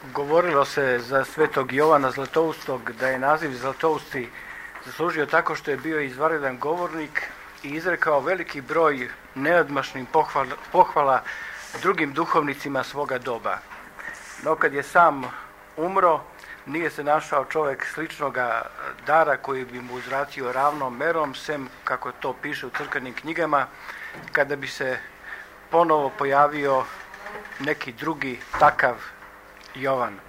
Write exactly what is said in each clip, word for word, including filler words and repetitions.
govorilo se za svetog Jovana Zlatoustog da je naziv Zlatousti zaslužio tako što je bio izvanredan govornik i izrekao veliki broj neodmašnih pohvala, pohvala drugim duhovnicima svoga doba. No kad je sam umro, nije se našao čovjek sličnoga dara koji bi mu uzvratio ravnom merom, sem kako to piše u crkvenim knjigama, kada bi se ponovo pojavio neki drugi takav Jovan.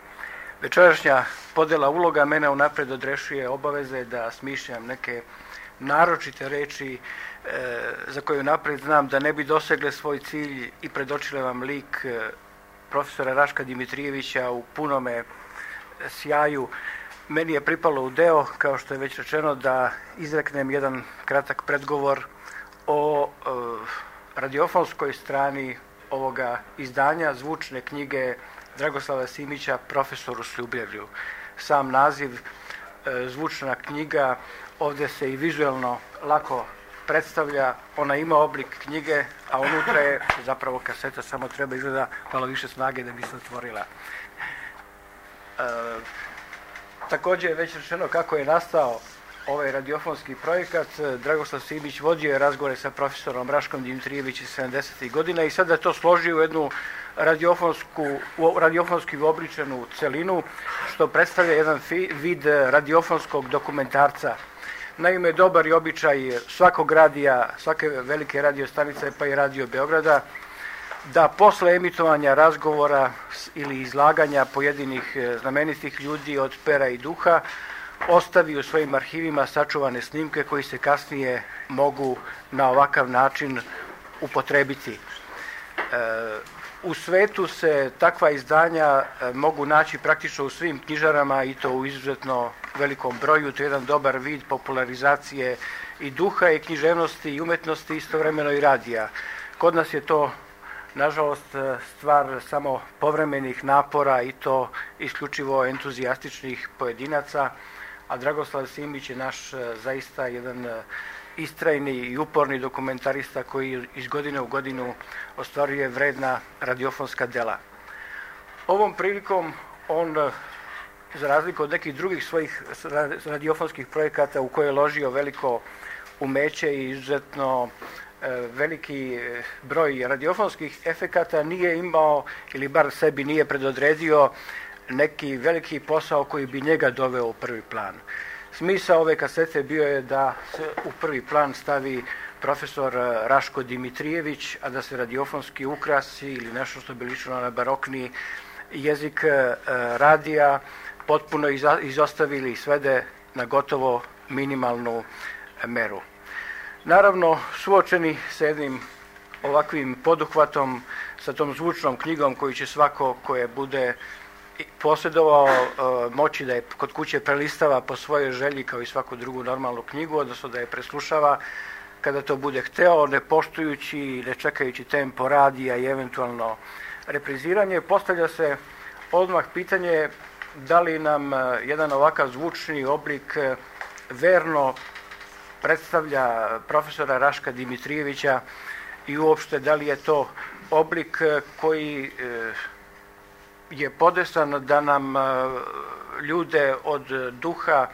Večerašnja podjela uloga mene unaprijed odrešuje obaveze da smišljam neke naročite reči e, za koje unaprijed znam da ne bi dosegle svoj cilj i predočile vam lik e, profesora Raška Dimitrijevića u punome sjaju. Meni je pripalo u deo, kao što je već rečeno, da izreknem jedan kratak predgovor o e, radiofonskoj strani ovoga izdanja zvučne knjige Dragoslava Simića, Profesoru s ljubavlju. Sam naziv e, zvučna knjiga ovdje se i vizuelno lako predstavlja, ona ima oblik knjige, a unutra je zapravo kaseta, samo treba izgleda malo više snage da bi se otvorila. E, također je već rečeno kako je nastao ovaj radiofonski projekat. Dragoslav Simić vodio je razgovore sa profesorom Raškom Dimitrijevićem sedamdesetih godina i sada je to složio u jednu radiofonsku, radiofonski uobličenu celinu, što predstavlja jedan fi, vid radiofonskog dokumentarca. Naime, dobar je običaj svakog radija, svake velike radiostanice, pa i Radio Beograda, da posle emitovanja razgovora ili izlaganja pojedinih znamenitih ljudi od pera i duha ostavi u svojim arhivima sačuvane snimke koji se kasnije mogu na ovakav način upotrebiti. E, u svetu se takva izdanja mogu naći praktično u svim knjižarama i to u izuzetno velikom broju. To je jedan dobar vid popularizacije i duha i književnosti i umetnosti, istovremeno i radija. Kod nas je to nažalost stvar samo povremenih napora i to isključivo entuzijastičnih pojedinaca, a Dragoslav Simić je naš zaista jedan istrajni i uporni dokumentarista koji iz godine u godinu ostvaruje vredna radiofonska dela. Ovom prilikom on, za razliku od nekih drugih svojih radiofonskih projekata u koje je ložio veliko umeće i izuzetno veliki broj radiofonskih efekata, nije imao, ili bar sebi nije predodredio, neki veliki posao koji bi njega doveo u prvi plan. Smisao ove kasete bio je da se u prvi plan stavi profesor Raško Dimitrijević, a da se radiofonski ukrasi ili nešto što bi ličilo na barokni jezik radija potpuno izostavili i svede na gotovo minimalnu meru. Naravno, suočeni sa jednim ovakvim poduhvatom, sa tom zvučnom knjigom koju će svako koje bude posjedovao moći da je kod kuće prelistava po svojoj želji kao i svaku drugu normalnu knjigu, odnosno da je preslušava kada to bude hteo, ne poštujući i ne čekajući tempo radija i eventualno repriziranje. Postavlja se odmah pitanje da li nam jedan ovakav zvučni oblik verno predstavlja profesora Raška Dimitrijevića i uopšte da li je to oblik koji je podesan da nam ljude od duha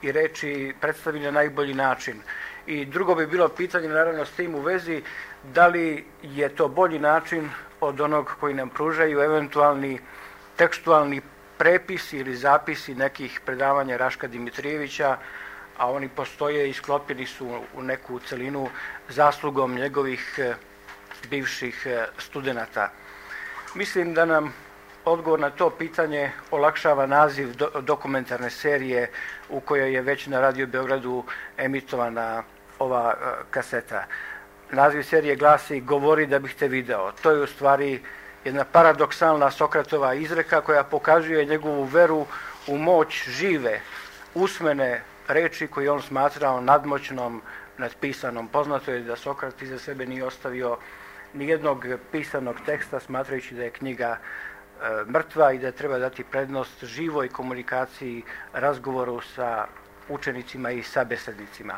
i reči predstavi na najbolji način. I drugo bi bilo pitanje, naravno, s tim u vezi, da li je to bolji način od onog koji nam pružaju eventualni tekstualni prepisi ili zapisi nekih predavanja Raška Dimitrijevića, a oni postoje i sklopljeni su u neku celinu zaslugom njegovih bivših studenata. Mislim da nam odgovor na to pitanje olakšava naziv do, dokumentarne serije u kojoj je već na Radio Beogradu emitovana ova uh, kaseta. Naziv serije glasi Govori da bih te video. To je u stvari jedna paradoksalna Sokratova izreka koja pokazuje njegovu veru u moć žive, usmene reči koju on smatrao nadmoćnom nad pisanom. Poznato je da Sokrat iza sebe nije ostavio nijednog pisanog teksta, smatrajući da je knjiga e, mrtva i da treba dati prednost živoj komunikaciji, razgovoru sa učenicima i sabesednicima.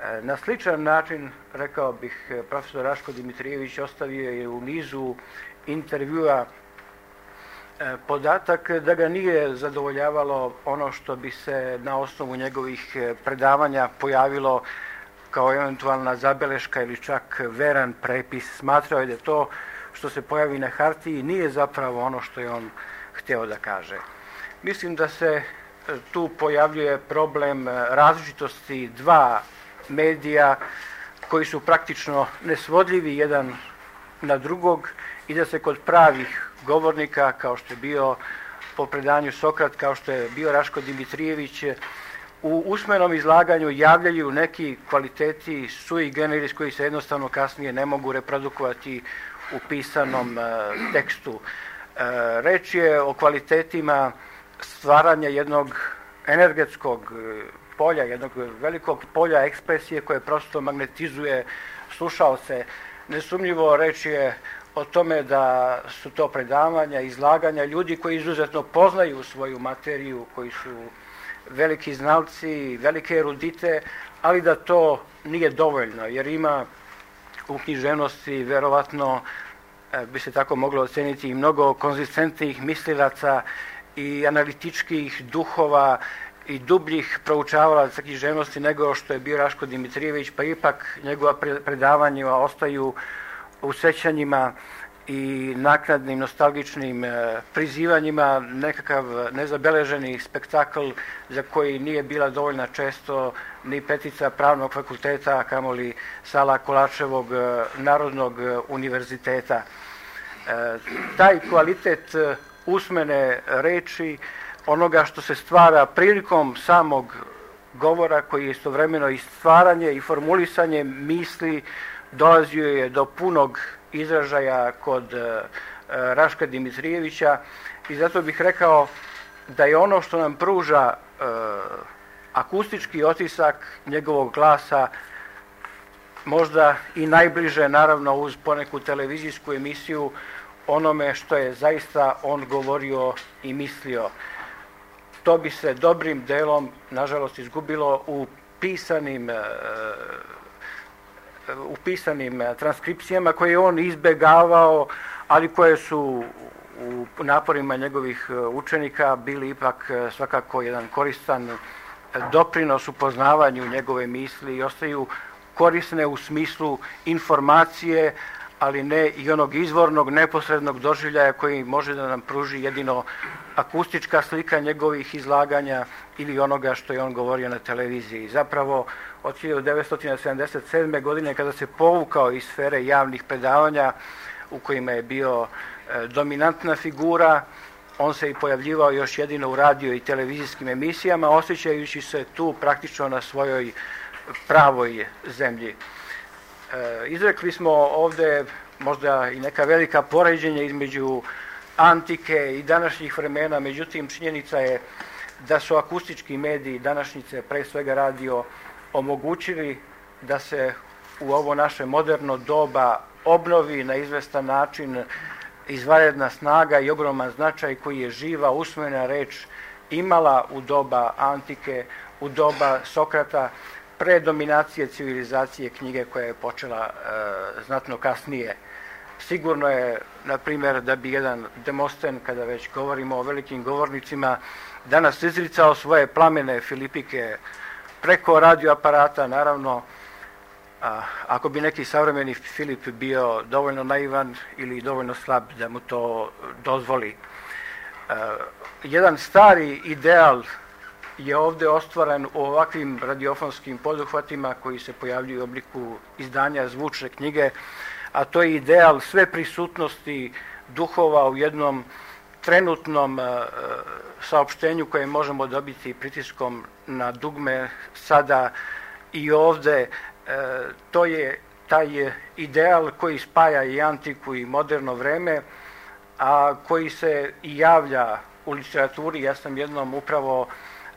E, na sličan način, rekao bih, profesor Raško Dimitrijević ostavio je u nizu intervjua podatak da ga nije zadovoljavalo ono što bi se na osnovu njegovih predavanja pojavilo kao eventualna zabeleška ili čak veran prepis. Smatrao je da to što se pojavi na hartiji nije zapravo ono što je on hteo da kaže. Mislim da se tu pojavljuje problem različitosti dva medija koji su praktično nesvodljivi jedan na drugog i da se kod pravih govornika, kao što je bio po predanju Sokrat, kao što je bio Raško Dimitrijević, u usmenom izlaganju javljaju neki kvaliteti sui generis koji se jednostavno kasnije ne mogu reprodukovati u pisanom e, tekstu. E, reč je o kvalitetima stvaranja jednog energetskog polja, jednog velikog polja ekspresije koje prosto magnetizuje slušaoce. Nesumnjivo reč je o tome da su to predavanja, izlaganja ljudi koji izuzetno poznaju svoju materiju, koji su veliki znalci, velike erudite, ali da to nije dovoljno, jer ima u književnosti verovatno bi se tako moglo oceniti i mnogo konzistentnih mislilaca i analitičkih duhova i dubljih proučavalaca književnosti nego što je bio Raško Dimitrijević, pa ipak njegova predavanja ostaju u sećanjima i naknadnim nostalgičnim prizivanjima nekakav nezabeleženi spektakl za koji nije bila dovoljna često ni petica Pravnog fakulteta, a kamoli sala Kolačevog Narodnog univerziteta. Taj kvalitet usmene reči, onoga što se stvara prilikom samog govora, koji je istovremeno i stvaranje i formulisanje misli, dolazio je do punog izražaja kod e, Raška Dimitrijevića i zato bih rekao da je ono što nam pruža e, akustički otisak njegovog glasa možda i najbliže, naravno uz poneku televizijsku emisiju, onome što je zaista on govorio i mislio. To bi se dobrim delom, nažalost, izgubilo u pisanim e, u pisanim transkripcijama koje je on izbegavao, ali koje su u naporima njegovih učenika bili ipak svakako jedan koristan doprinos u poznavanju njegove misli i ostaju korisne u smislu informacije, ali ne i onog izvornog, neposrednog doživljaja koji može da nam pruži jedino akustička slika njegovih izlaganja ili onoga što je on govorio na televiziji. Zapravo, od hiljadu devetsto sedamdeset sedme. godine, kada se povukao iz sfere javnih predavanja u kojima je bio e, dominantna figura, on se i pojavljivao još jedino u radio i televizijskim emisijama, osjećajući se tu praktično na svojoj pravoj zemlji. E, izrekli smo ovde možda i neka velika poređenja između antike i današnjih vremena, međutim činjenica je da su akustički mediji današnjice, pre svega radio, omogućili da se u ovo naše moderno doba obnovi na izvestan način izvanredna snaga i ogroman značaj koji je živa usmena reč imala u doba antike, u doba Sokrata, pre dominacije civilizacije knjige koja je počela e, znatno kasnije. Sigurno je, na primjer, da bi jedan Demosten, kada već govorimo o velikim govornicima, danas izricao svoje plamene filipike preko radioaparata, naravno, a, ako bi neki savremeni Filip bio dovoljno naivan ili dovoljno slab da mu to dozvoli. A, jedan stari ideal je ovde ostvaren u ovakvim radiofonskim poduhvatima koji se pojavljuju u obliku izdanja zvučne knjige, a to je ideal sve prisutnosti duhova u jednom trenutnom uh, saopštenju koje možemo dobiti pritiskom na dugme sada i ovde. Uh, to je taj ideal koji spaja i antiku i moderno vreme, a koji se i javlja u literaturi. Ja sam jednom upravo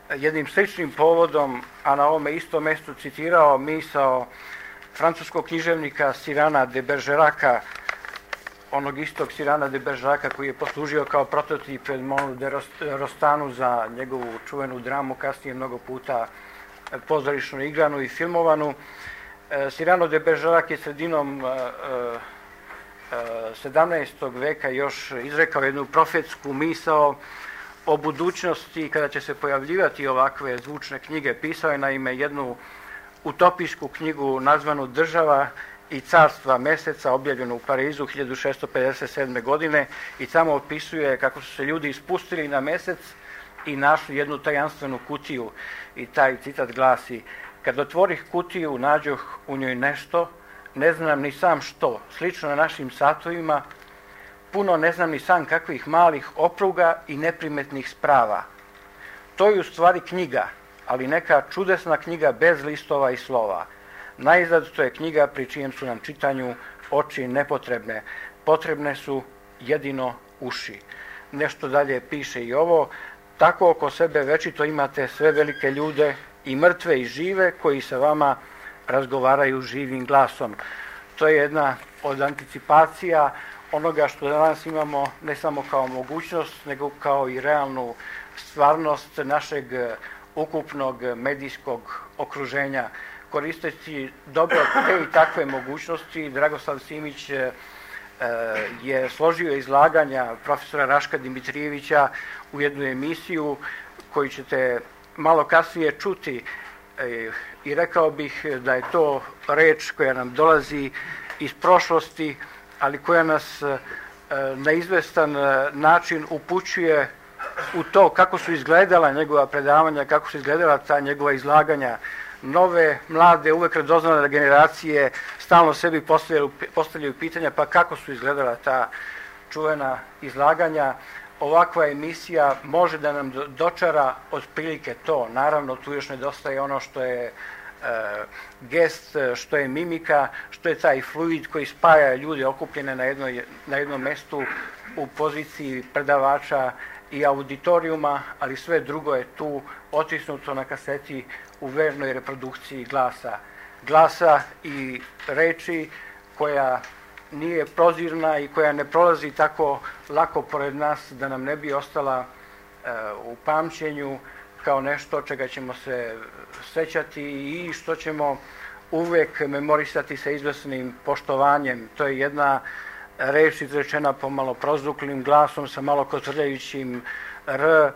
jednim sličnim povodom, a na ovome istom mestu citirao misao francuskog književnika Cyrana de Bergerac'a, onog istog Cyrana de Bergerac'a koji je poslužio kao prototip Edmondu de Rostanu za njegovu čuvenu dramu, kasnije mnogo puta pozorišno igranu i filmovanu. Cyrano de Bergerac je sredinom sedamnaestog veka još izrekao jednu profetsku misao o budućnosti kada će se pojavljivati ovakve zvučne knjige. Pisao je naime jednu utopijsku knjigu nazvanu Država i carstva meseca, objavljenu u Parizu hiljadu šessto pedeset sedme. godine i samo opisuje kako su se ljudi ispustili na mesec i našli jednu tajanstvenu kutiju. I taj citat glasi: kad otvorih kutiju, nađoh u njoj nešto, ne znam ni sam što, slično na našim satovima, puno ne znam ni sam kakvih malih opruga i neprimetnih sprava. To je u stvari knjiga, ali neka čudesna knjiga bez listova i slova. Naizgled to je knjiga pri čijem su nam čitanju oči nepotrebne, potrebne su jedino uši. Nešto dalje piše i ovo: tako oko sebe večito imate sve velike ljude, i mrtve i žive, koji sa vama razgovaraju živim glasom. To je jedna od anticipacija onoga što danas imamo ne samo kao mogućnost, nego kao i realnu stvarnost našeg ukupnog medijskog okruženja. Koristeći dobro te i takve mogućnosti, Dragoslav Simić je složio izlaganja profesora Raška Dimitrijevića u jednu emisiju koju ćete malo kasnije čuti, i rekao bih da je to reč koja nam dolazi iz prošlosti, ali koja nas na izvestan način upućuje u to kako su izgledala njegova predavanja, kako su izgledala ta njegova izlaganja. Nove, mlade, uvek radoznale generacije stalno sebi postavljaju, postavljaju pitanja pa kako su izgledala ta čuvena izlaganja. Ovakva emisija može da nam dočara otprilike to. Naravno, tu još nedostaje ono što je e, gest, što je mimika, što je taj fluid koji spaja ljude okupljene na, jednoj, na jednom mestu u poziciji predavača i auditorijuma, ali sve drugo je tu otisnuto na kaseti u vernoj reprodukciji glasa. Glasa i reči koja nije prozirna i koja ne prolazi tako lako pored nas da nam ne bi ostala e, u pamćenju kao nešto čega ćemo se sećati i što ćemo uvek memorisati sa izvesnim poštovanjem. To je jedna reč izrečena pomalo prozvuklim glasom sa malo kotrljajućim r, e,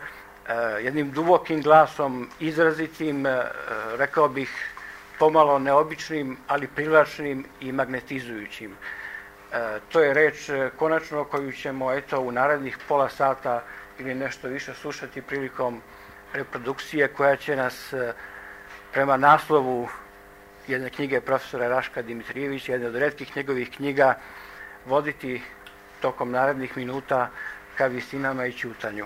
jednim dubokim glasom, izrazitim, e, rekao bih pomalo neobičnim, ali privlačnim i magnetizujućim. E, to je reč konačno koju ćemo eto u narednih pola sata ili nešto više slušati prilikom reprodukcije koja će nas e, prema naslovu jedne knjige profesora Raška Dimitrijevića, jedne od retkih njegovih knjiga, voditi tokom narednih minuta ka vistinama i ćutanju.